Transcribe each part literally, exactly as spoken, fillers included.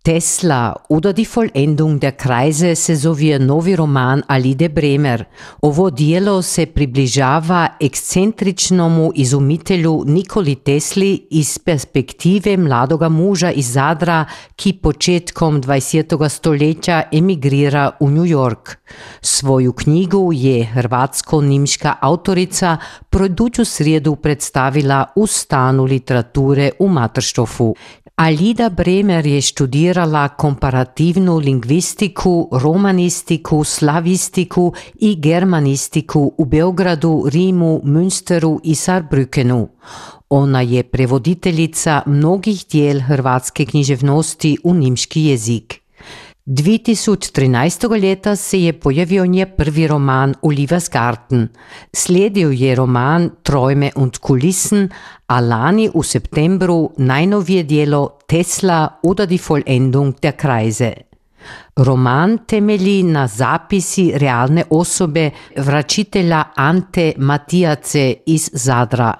Tesla oder die Vollendung der Kreise se zove novi roman Alide Bremer. Ovo dijelo se približava ekscentričnomu izumitelju Nikoli Tesli iz perspektive mladoga muža iz Zadra, ki početkom dvajsetega stoletja emigrira v New York. Svoju knjigu je hrvatsko-nimška avtorica produću srijedu predstavila u stanu literature u Materštofu. Alida Bremer je študirala komparativnu lingvistiku, romanistiku, slavistiku i germanistiku u Beogradu, Rimu, Münsteru i Saarbrückenu. Ona je prevoditeljica mnogih dijel hrvatske književnosti u nimški jezik. dve tisoč trinaestega leta se je pojavio nje prvi roman Olivers Garten. Sledil je roman Träume und Kulissen, a lani v septembru najnovije dijelo Tesla oder die Vollendung der Kreise. Roman temelji na zapisi realne osobe vračitelja Ante Matijace iz Zadra.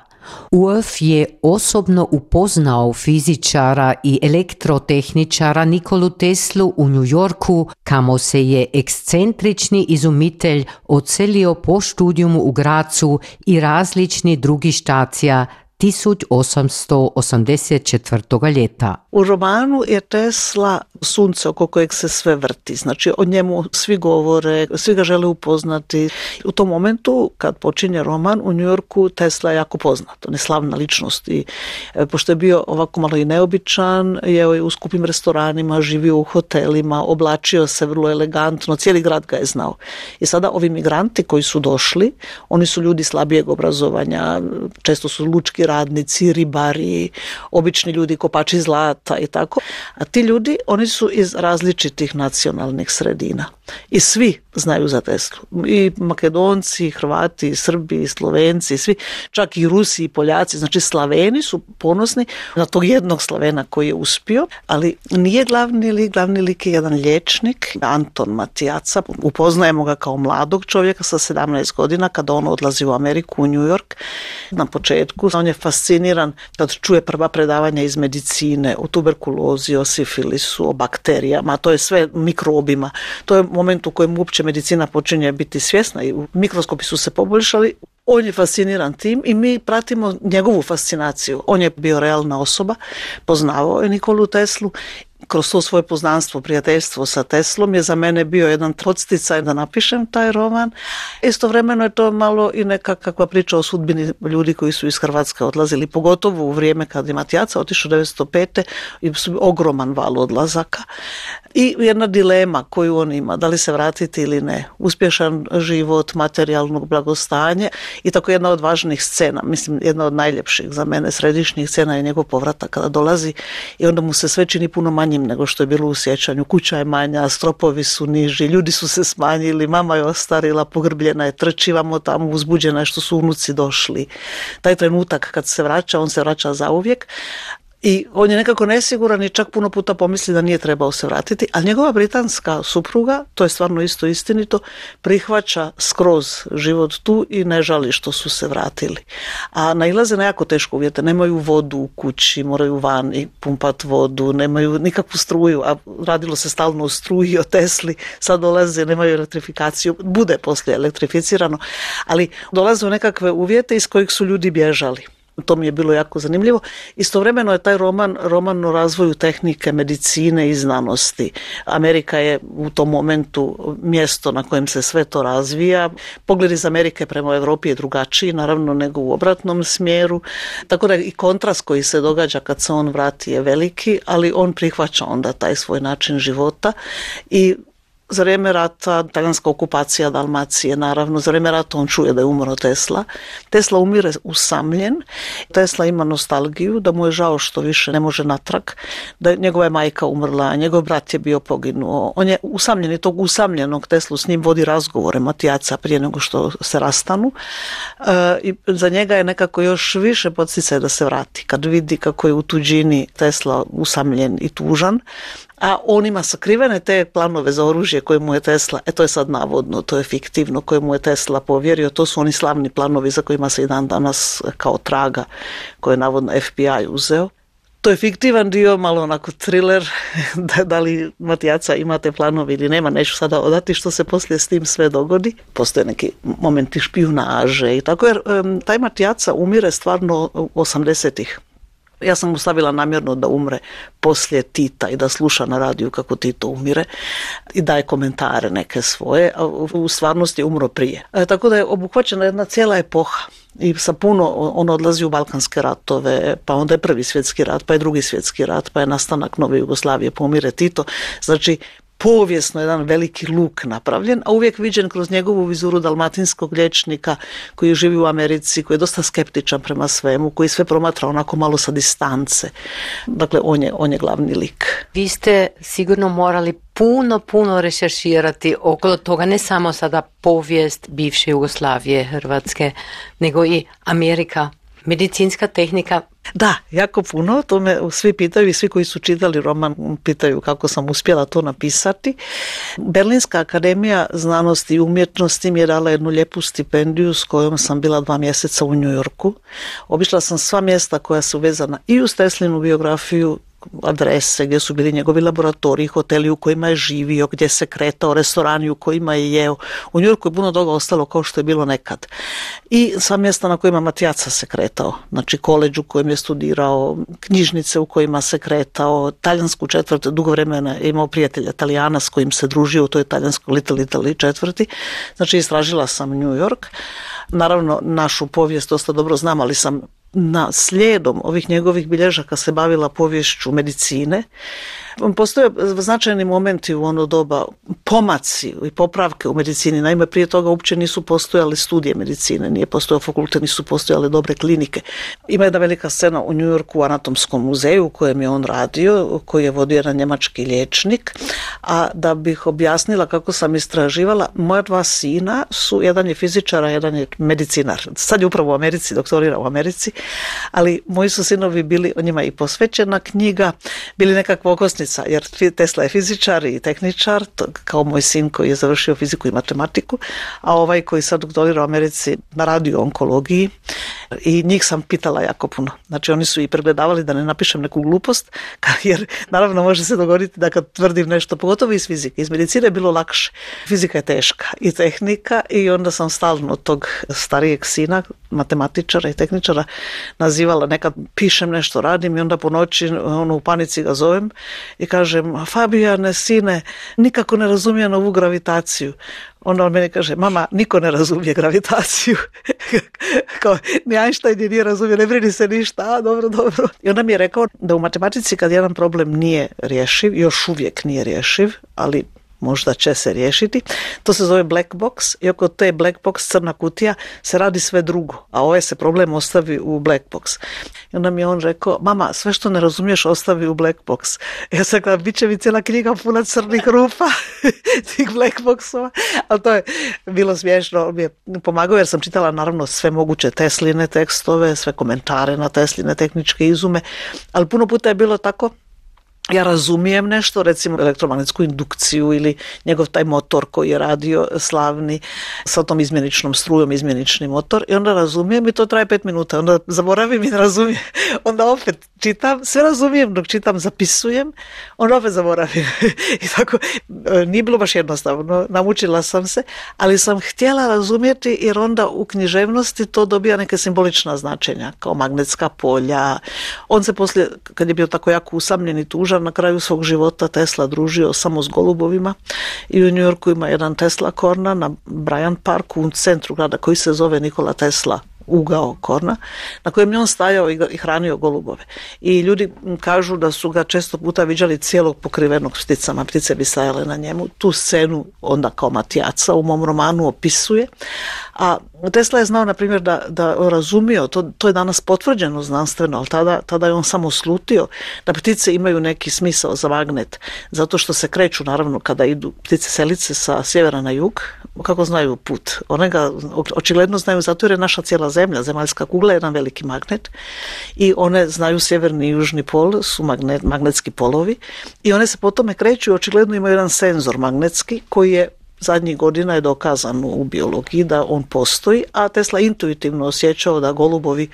Ulf je osobno upoznao fizičara i elektrotehničara Nikolu Teslu u New Yorku, kamo se je ekscentrični izumitelj odselio po študijumu u Gracu i različni drugi štacija tisoč osamsto osamdeset četvrtog ljeta. U romanu je Tesla sunce oko kojeg se sve vrti, znači o njemu svi govore, svi ga žele upoznati. U tom momentu kad počinje roman u New Yorku Tesla je jako poznat, on je slavna ličnost i pošto je bio ovako malo i neobičan, je u skupim restoranima, živio u hotelima, oblačio se vrlo elegantno, cijeli grad ga je znao. I sada ovi migranti koji su došli, oni su ljudi slabijeg obrazovanja, često su lučki radnici, ribari, obični ljudi, kopači zlata i tako. A ti ljudi, oni su iz različitih nacionalnih sredina. I svi znaju za Teslu. I Makedonci, i Hrvati, i Srbi, i Slovenci, i svi, čak i Rusi, i Poljaci. Znači Slaveni su ponosni na tog jednog Slavena koji je uspio, ali nije glavni lik, glavni lik je jedan liječnik, Anton Matijaca. Upoznajemo ga kao mladog čovjeka sa sedamnaest godina kada on odlazi u Ameriku, u New York. Na početku on je fasciniran kad čuje prva predavanja iz medicine, o tuberkulozi, o sifilisu, o bakterijama, to je sve mikrobima. To je moment u kojem uopće medicina počinje biti svjesna i mikroskopi su se poboljšali. On je fasciniran tim i mi pratimo njegovu fascinaciju. On je bio realna osoba, poznavao je Nikolu Teslu. Kroz to svoje poznanstvo, prijateljstvo sa Teslom je za mene bio jedan podsticaj da napišem taj roman. Istovremeno je to malo i nekakva priča o sudbini ljudi koji su iz Hrvatske odlazili, pogotovo u vrijeme kad je Matijaca otišao devetsto pete i su ogroman val odlazaka. I jedna dilema koju on ima, da li se vratiti ili ne. Uspješan život, materijalno blagostanje i tako jedna od važnih scena, mislim jedna od najljepših za mene središnjih scena je njegov povratak kada dolazi i onda mu se sve čini puno manjim nego što je bilo u sjećanju. Kuća je manja, stropovi su niži, ljudi su se smanjili, mama je ostarila, pogrbljena je, trčivamo tamo, uzbuđena je što su unuci došli. Taj trenutak kad se vraća, on se vraća zauvijek. I on je nekako nesiguran i čak puno puta pomisli da nije trebao se vratiti, ali njegova britanska supruga, to je stvarno isto istinito, prihvaća skroz život tu i ne žali što su se vratili. A nailaze na jako teško uvjete, nemaju vodu u kući, moraju van i pumpat vodu, nemaju nikakvu struju, a radilo se stalno o struji, o Tesli, sad dolaze, nemaju elektrifikaciju, bude poslije elektrificirano, ali dolaze u nekakve uvjete iz kojih su ljudi bježali. To mi je bilo jako zanimljivo. Istovremeno je taj roman, roman o razvoju tehnike, medicine i znanosti. Amerika je u tom momentu mjesto na kojem se sve to razvija. Pogled iz Amerike prema Europi je drugačiji, naravno, nego u obratnom smjeru. Tako da i kontrast koji se događa kad se on vrati je veliki, ali on prihvaća onda taj svoj način života i za vrijeme rata, talijanska okupacija Dalmacije, naravno, za vrijeme rata on čuje da je umro Tesla. Tesla umire usamljen. Tesla ima nostalgiju, da mu je žao što više ne može natrag, da njegova je majka umrla, njegov brat je bio poginuo. On je usamljen i tog usamljenog Teslu s njim vodi razgovore Matijaca prije nego što se rastanu. E, i za njega je nekako još više podsticaj da se vrati. Kad vidi kako je u tuđini Tesla usamljen i tužan, a on ima sakrivene te planove za oružje koje mu je Tesla, e to je sad navodno, to je fiktivno, koje mu je Tesla povjerio, to su oni slavni planovi za kojima se i dan danas kao traga, koje je navodno F B I uzeo. To je fiktivan dio, malo onako thriller, da, da li Matijaca imate planovi ili nema, neću sada odati što se poslije s tim sve dogodi. Postoje neki momenti špijunaže i tako, jer um, taj Matijaca umire stvarno u osamdesetih. Ja sam mu stavila namjerno da umre poslije Tita i da sluša na radiju kako Tito umire i daje komentare neke svoje, a u stvarnosti je umro prije. E, tako da je obuhvaćena jedna cijela epoha i sa puno, on odlazi u Balkanske ratove, pa onda je prvi svjetski rat, pa je drugi svjetski rat, pa je nastanak nove Jugoslavije, pa umire Tito. Znači, povijesno jedan veliki luk napravljen, a uvijek viđen kroz njegovu vizuru dalmatinskog liječnika koji živi u Americi, koji je dosta skeptičan prema svemu, koji sve promatra onako malo sa distance. Dakle, on je, on je glavni lik. Vi ste sigurno morali puno, puno rešerširati okolo toga, ne samo sada povijest bivše Jugoslavije, Hrvatske, nego i Amerika, medicinska tehnika. Da, jako puno, to me svi pitaju i svi koji su čitali roman pitaju kako sam uspjela to napisati. Berlinska akademija znanosti i umjetnosti mi je dala jednu lijepu stipendiju s kojom sam bila dva mjeseca u New Yorku. Obišla sam sva mjesta koja su vezana i uz Teslinu biografiju, adrese gdje su bili njegovi laboratoriji, hoteli u kojima je živio, gdje se kretao, restorani u kojima je jeo. U New Yorku je puno toga ostalo kao što je bilo nekad. I sva mjesta na kojima Matijaca se kretao. Znači koleđ u kojem je studirao, knjižnice u kojima se kretao, talijansku četvrt, dugo vremena je imao prijatelja Talijana s kojim se družio u toj talijanskoj Little Italy četvrti. Znači istražila sam New York. Naravno, našu povijest dosta dobro znam, ali sam na slijedom ovih njegovih bilježaka se bavila poviješću medicine. Postoje značajni momenti u ono doba, pomaci i popravke u medicini. Naime, prije toga uopće nisu postojale studije medicine, nije postojao fakultet, nisu postojale dobre klinike. Ima jedna velika scena u New Yorku u Anatomskom muzeju u kojem je on radio, koji je vodio jedan njemački liječnik. A da bih objasnila kako sam istraživala, moja dva sina su, jedan je fizičar, a jedan je medicinar. Sad je upravo u Americi, doktorira u Americi, ali moji su sinovi bili, o njima i posvećena knjiga, bili nekakva okosnica, jer Tesla je fizičar i tehničar, kao moj sin koji je završio fiziku i matematiku, a ovaj koji sad doktorira u Americi na radio-onkologiji, i njih sam pitala jako puno. Znači oni su i pregledavali da ne napišem neku glupost, jer naravno može se dogoditi da kad tvrdim nešto, pogotovo iz fizike, iz medicine je bilo lakše. Fizika je teška i tehnika, i onda sam stalno tog starijeg sina, matematičara i tehničara, nazivala, nekad pišem nešto, radim, i onda po noći ono, u panici ga zovem i kažem: Fabijane, sine, nikako ne razumijem ovu gravitaciju. Onda on meni kaže: mama, niko ne razumije gravitaciju. Kao, ni Einstein nije razumije, ne brini se ništa, a dobro, dobro. I onda mi je rekao da u matematici kad jedan problem nije rješiv, još uvijek nije rješiv, ali možda će se riješiti, to se zove black box, i oko te black box, crna kutija, se radi sve drugo, a ovaj se problem ostavi u black box. I onda mi je on rekao: mama, sve što ne razumiješ ostavi u black box. Ja sam rekla: bit će mi cijela knjiga puna crnih rupa, tih black boxova, ali to je bilo smiješno. On mi je pomagao jer sam čitala naravno sve moguće Tesline tekstove, sve komentare na Tesline tehničke izume, ali puno puta je bilo tako, ja razumijem nešto, recimo elektromagnetsku indukciju ili njegov taj motor koji je radio slavni sa tom izmjeničnom strujom, izmjenični motor, i onda razumijem i to traje pet minuta, onda zaboravim i ne razumijem, onda opet čitam, sve razumijem dok čitam, zapisujem, onda opet zaboravim. I tako, nije bilo baš jednostavno, naučila sam se, ali sam htjela razumjeti, jer onda u književnosti to dobija neke simbolična značenja, kao magnetska polja. On se poslije, kad je bio tako jako usamljen i tužan, na kraju svog života Tesla družio samo s golubovima, i u New Yorku ima jedan Tesla Corner na Bryant Parku u centru grada koji se zove Nikola Tesla ugao Korna, na kojem je on stajao i hranio golubove. I ljudi kažu da su ga često puta viđali cijelog pokrivenog pticama, ptice bi stajale na njemu. Tu scenu onda kao Matijaca u mom romanu opisuje. A Tesla je znao, na primjer, da, da razumio, to, to je danas potvrđeno znanstveno, ali tada, tada je on samo slutio da ptice imaju neki smisao za magnet, zato što se kreću, naravno, kada idu ptice selice sa sjevera na jug, kako znaju put. One ga očigledno znaju zato jer je naša cijela zemlja, zemaljska kugla, jedan veliki magnet, i one znaju sjeverni i južni pol, su magnet, magnetski polovi, i one se po tome kreću i očigledno imaju jedan senzor magnetski koji je zadnjih godina je dokazano u biologiji da on postoji, a Tesla intuitivno osjećao da golubovi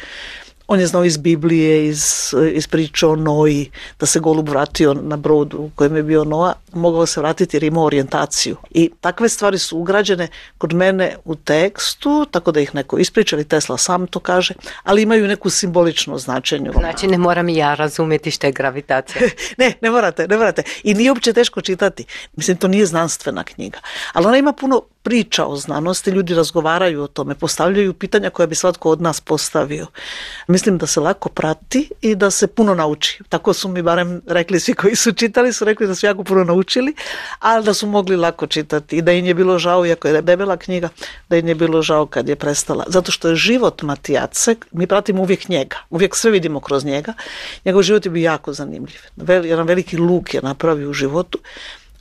On je znao iz Biblije, iz, iz priče o Noji, da se golub vratio na brodu u kojem je bio Noa, mogao se vratiti jer imao orijentaciju. I takve stvari su ugrađene kod mene u tekstu, tako da ih neko ispriča, ili Tesla sam to kaže, ali imaju neku simbolično značenje. Znači ne moram i ja razumjeti što je gravitacija. ne, ne morate, ne morate. I nije uopće teško čitati. Mislim, to nije znanstvena knjiga. Ali ona ima puno priča o znanosti, ljudi razgovaraju o tome, postavljaju pitanja koja bi svatko od nas postavio. Mislim da se lako prati i da se puno nauči. Tako su mi barem rekli svi koji su čitali, su rekli da su jako puno naučili, ali da su mogli lako čitati i da im je bilo žao, iako je debela knjiga, da im je bilo žao kad je prestala. Zato što je život Matijace, mi pratimo uvijek njega, uvijek sve vidimo kroz njega, njegov život je bio jako zanimljiv. Jedan veliki luk je napravio u životu,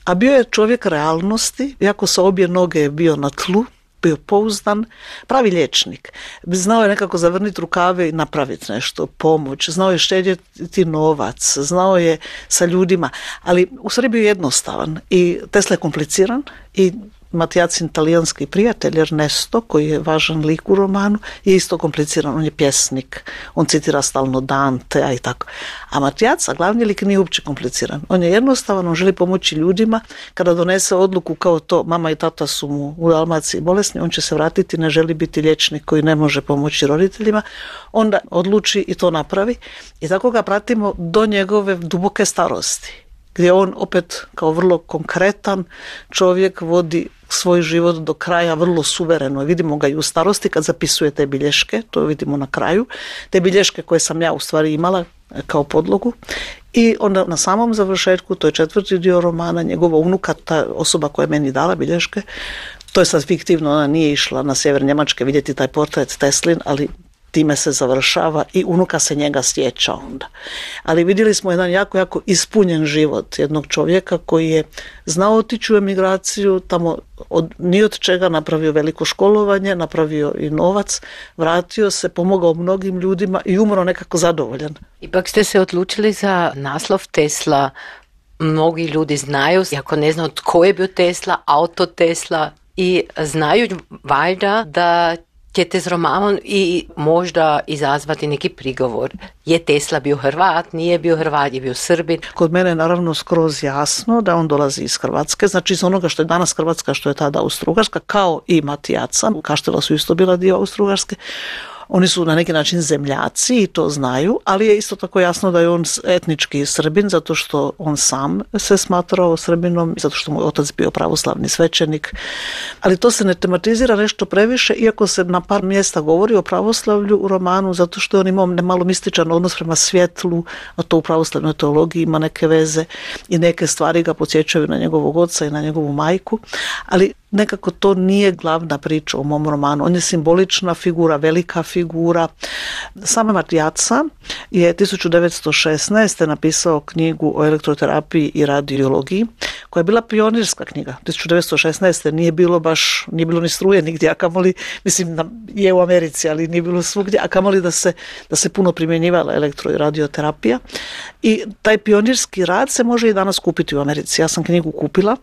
a bio je čovjek realnosti, iako sa obje noge je bio na tlu, bio pouzdan, pravi liječnik. Znao je nekako zavrniti rukave i napraviti nešto, pomoć, znao je štedjeti novac, znao je sa ljudima, ali u stvari bio jednostavan i Tesla je kompliciran i Matijacin talijanski prijatelj Ernesto, koji je važan lik u romanu, je isto kompliciran, on je pjesnik, on citira stalno Dantea i tako. A Matijaca, glavni lik, nije uopće kompliciran. On je jednostavan, on želi pomoći ljudima. Kada donese odluku kao to, mama i tata su mu u Dalmaciji bolesni, on će se vratiti, ne želi biti liječnik koji ne može pomoći roditeljima, onda odluči i to napravi. I tako ga pratimo do njegove duboke starosti, gdje on opet kao vrlo konkretan čovjek vodi svoj život do kraja vrlo suvereno. Vidimo ga i u starosti kad zapisuje te bilješke, to vidimo na kraju, te bilješke koje sam ja u stvari imala kao podlogu. I onda na samom završetku, to je četvrti dio romana, njegova unuka, ta osoba koja je meni dala bilješke, to je sad fiktivno, ona nije išla na sjever Njemačke vidjeti taj portret Teslin, ali time se završava i unuka se njega sjeća onda. Ali vidjeli smo jedan jako, jako ispunjen život jednog čovjeka koji je znao otići u emigraciju, tamo od, ni od čega napravio veliko školovanje, napravio i novac, vratio se, pomogao mnogim ljudima i umro nekako zadovoljan. Ipak ste se odlučili za naslov Tesla. Mnogi ljudi znaju, ako ne znaju tko je bio Tesla, auto Tesla, i znaju valjda da ćete s romanom i možda izazvati neki prigovor. Je Tesla bio Hrvat, nije bio Hrvat, je bio Srbin? Kod mene je naravno skroz jasno da on dolazi iz Hrvatske, znači iz onoga što je danas Hrvatska, što je tada Austro-Ugarska, kao i Matijaca, Kaštela su isto bila dio Austro-Ugarske. Oni su na neki način zemljaci i to znaju, ali je isto tako jasno da je on etnički Srbin, zato što on sam se smatrao Srbinom, zato što mu je otac bio pravoslavni svećenik. Ali to se ne tematizira nešto previše, iako se na par mjesta govori o pravoslavlju u romanu, zato što je on imao malo mističan odnos prema svjetlu, a to u pravoslavnoj teologiji ima neke veze i neke stvari ga podsjećaju na njegovog oca i na njegovu majku, ali nekako to nije glavna priča u mom romanu. On je simbolična figura, velika figura. Sama Matijaca je tisuću devetsto šesnaeste napisao knjigu o elektroterapiji i radiologiji, koja je bila pionirska knjiga. tisuću devetsto šesnaeste nije bilo baš, nije bilo ni struje nigdje, a kamoli, mislim, je u Americi, ali nije bilo svugdje, a kamoli da se, da se puno primjenjivala elektro i radioterapija. I taj pionirski rad se može i danas kupiti u Americi. Ja sam knjigu kupila.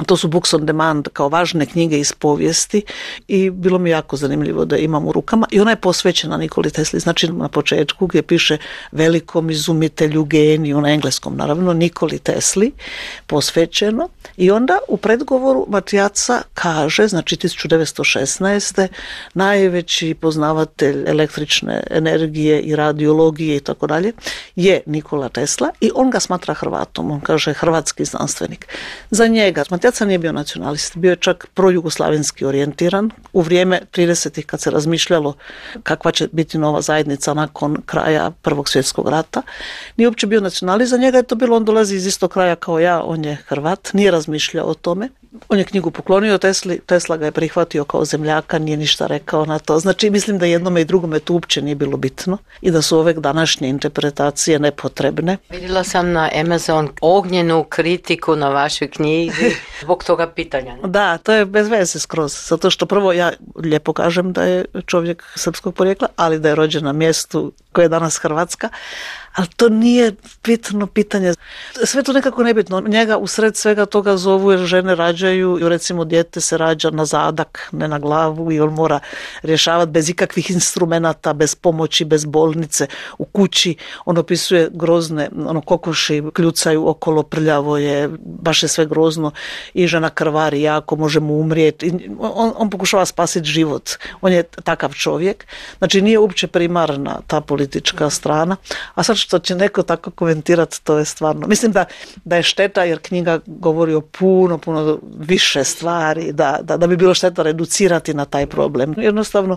To su books on demand, kao važne knjige iz povijesti, i bilo mi jako zanimljivo da imam u rukama. I ona je posvećena Nikoli Tesli, znači na početku gdje piše velikom izumitelju, geniju, na engleskom naravno, Nikoli Tesli, posvećeno. I onda u predgovoru Matijaca kaže, znači tisuću devetsto šesnaeste najveći poznavatelj električne energije i radiologije i tako dalje je Nikola Tesla, i on ga smatra Hrvatom, on kaže hrvatski znanstvenik. Za njega Matijaca nije bio nacionalist, bio je čak projugoslavenski orijentiran u vrijeme tridesetih kad se razmišljalo kakva će biti nova zajednica nakon kraja Prvog svjetskog rata. Nije uopće bio nacionalist, za njega je to bilo, on dolazi iz istog kraja kao ja, on je Hrvat, nije razmišljao o tome. On je knjigu poklonio Tesli, Tesla ga je prihvatio kao zemljaka, nije ništa rekao na to. Znači, mislim da jednome i drugome to uopće nije bilo bitno i da su ove današnje interpretacije nepotrebne. Vidjela sam na Amazon ognjenu kritiku na vašoj knjizi Zbog toga pitanja. Ne? Da, to je bez veze skroz, zato što prvo ja lijepo kažem da je čovjek srpskog porijekla, ali da je rođen na mjestu koje je danas Hrvatska, ali to nije bitno pitanje. Sve to nekako nebitno. Njega usred svega toga zovu jer žene rađaju i recimo dijete se rađa na zadak, ne na glavu i on mora rješavati bez ikakvih instrumenata, bez pomoći, bez bolnice, u kući. On opisuje grozne, ono kokoši kljucaju okolo, prljavo je, baš je sve grozno i žena krvari jako, može mu umrijeti. On, on pokušava spasiti život. On je takav čovjek. Znači nije uopće primarna ta politička strana. A sad što će neko tako komentirati, to je stvarno. Mislim da, da je šteta jer knjiga govori o puno, puno više stvari, da, da, da bi bilo šteta reducirati na taj problem. Jednostavno,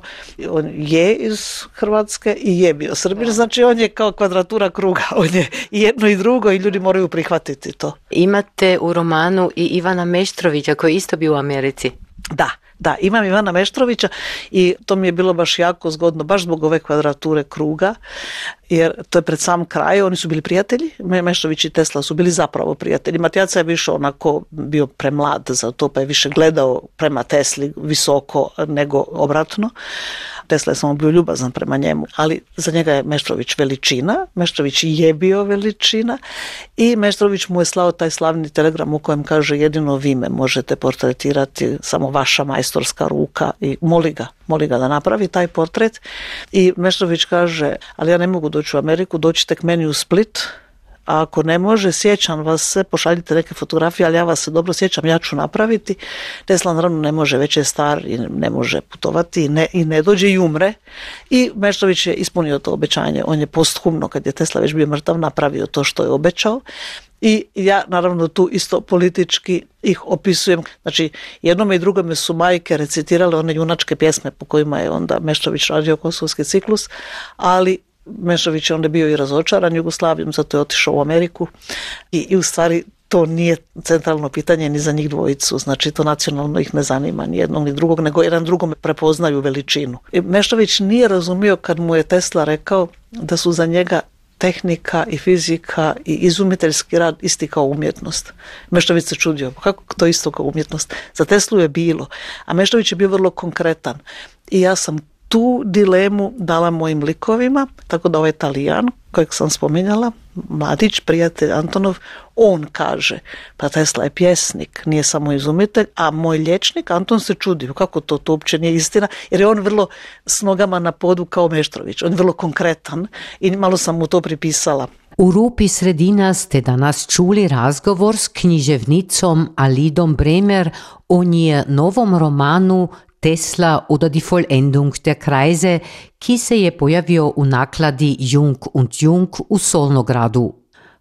on je iz Hrvatske i je bio Srbin, znači on je kao kvadratura kruga, on je i jedno i drugo i ljudi moraju prihvatiti to. Imate u romanu i Ivana Meštrovića koji isto bio u Americi. Da. Da, imam Ivana Meštrovića i to mi je bilo baš jako zgodno, baš zbog ove kvadrature kruga, jer to je pred sam kraj, oni su bili prijatelji, Meštrović i Tesla su bili zapravo prijatelji. Matijaca je više onako bio premlad za to, pa je više gledao prema Tesli visoko nego obratno. Tesla je samo bio ljubazan prema njemu, ali za njega je Meštrović veličina, Meštrović je bio veličina i Meštrović mu je slao taj slavni telegram u kojem kaže jedino vi me možete portretirati, samo vaša majstorska ruka i moli ga, moli ga da napravi taj portret i Meštrović kaže, ali ja ne mogu doći u Ameriku, dođite k meni u Split, a ako ne može, sjećam vas se, pošaljite neke fotografije, ali ja vas se dobro sjećam, ja ću napraviti. Tesla naravno ne može, već je star i ne može putovati i ne, i ne dođe i umre. I Meštrović je ispunio to obećanje. On je posthumno, kad je Tesla već bio mrtav, napravio to što je obećao. I ja naravno tu isto politički ih opisujem. Znači, jednome i drugome su majke recitirale one junačke pjesme po kojima je onda Meštrović radio Kosovski ciklus, ali Meštrović je onda bio i razočaran Jugoslavijom, zato je otišao u Ameriku i, i u stvari to nije centralno pitanje ni za njih dvojicu, znači to nacionalno ih ne zanima ni jednog ni drugog, nego jedan drugome prepoznaju veličinu. I Meštrović nije razumio kad mu je Tesla rekao da su za njega tehnika i fizika i izumiteljski rad isti kao umjetnost. Meštrović se čudio, kako to isto kao umjetnost? Za Teslu je bilo, a Meštrović je bio vrlo konkretan i ja sam tu dilemu dala mojim likovima, tako da ovaj Talijan, kojeg sam spominjala, mladić, prijatelj Antonov, on kaže, pa Tesla je pjesnik, nije samo izumitelj, a moj liječnik Anton se čudio, kako to, to uopće nije istina, jer je on vrlo s nogama na podu kao Meštrović, on je vrlo konkretan i malo sam mu to pripisala. U Rupi sredina ste danas čuli razgovor s književnicom Alidom Bremer o nje novom romanu Tesla oder die Vollendung der Kreise, ki se je pojavio u nakladi Jung und Jung u Solnogradu.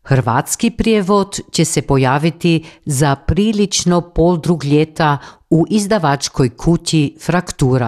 Hrvatski prijevod će se pojaviti za prilično pol drug ljeta u izdavačkoj kuti Fraktura.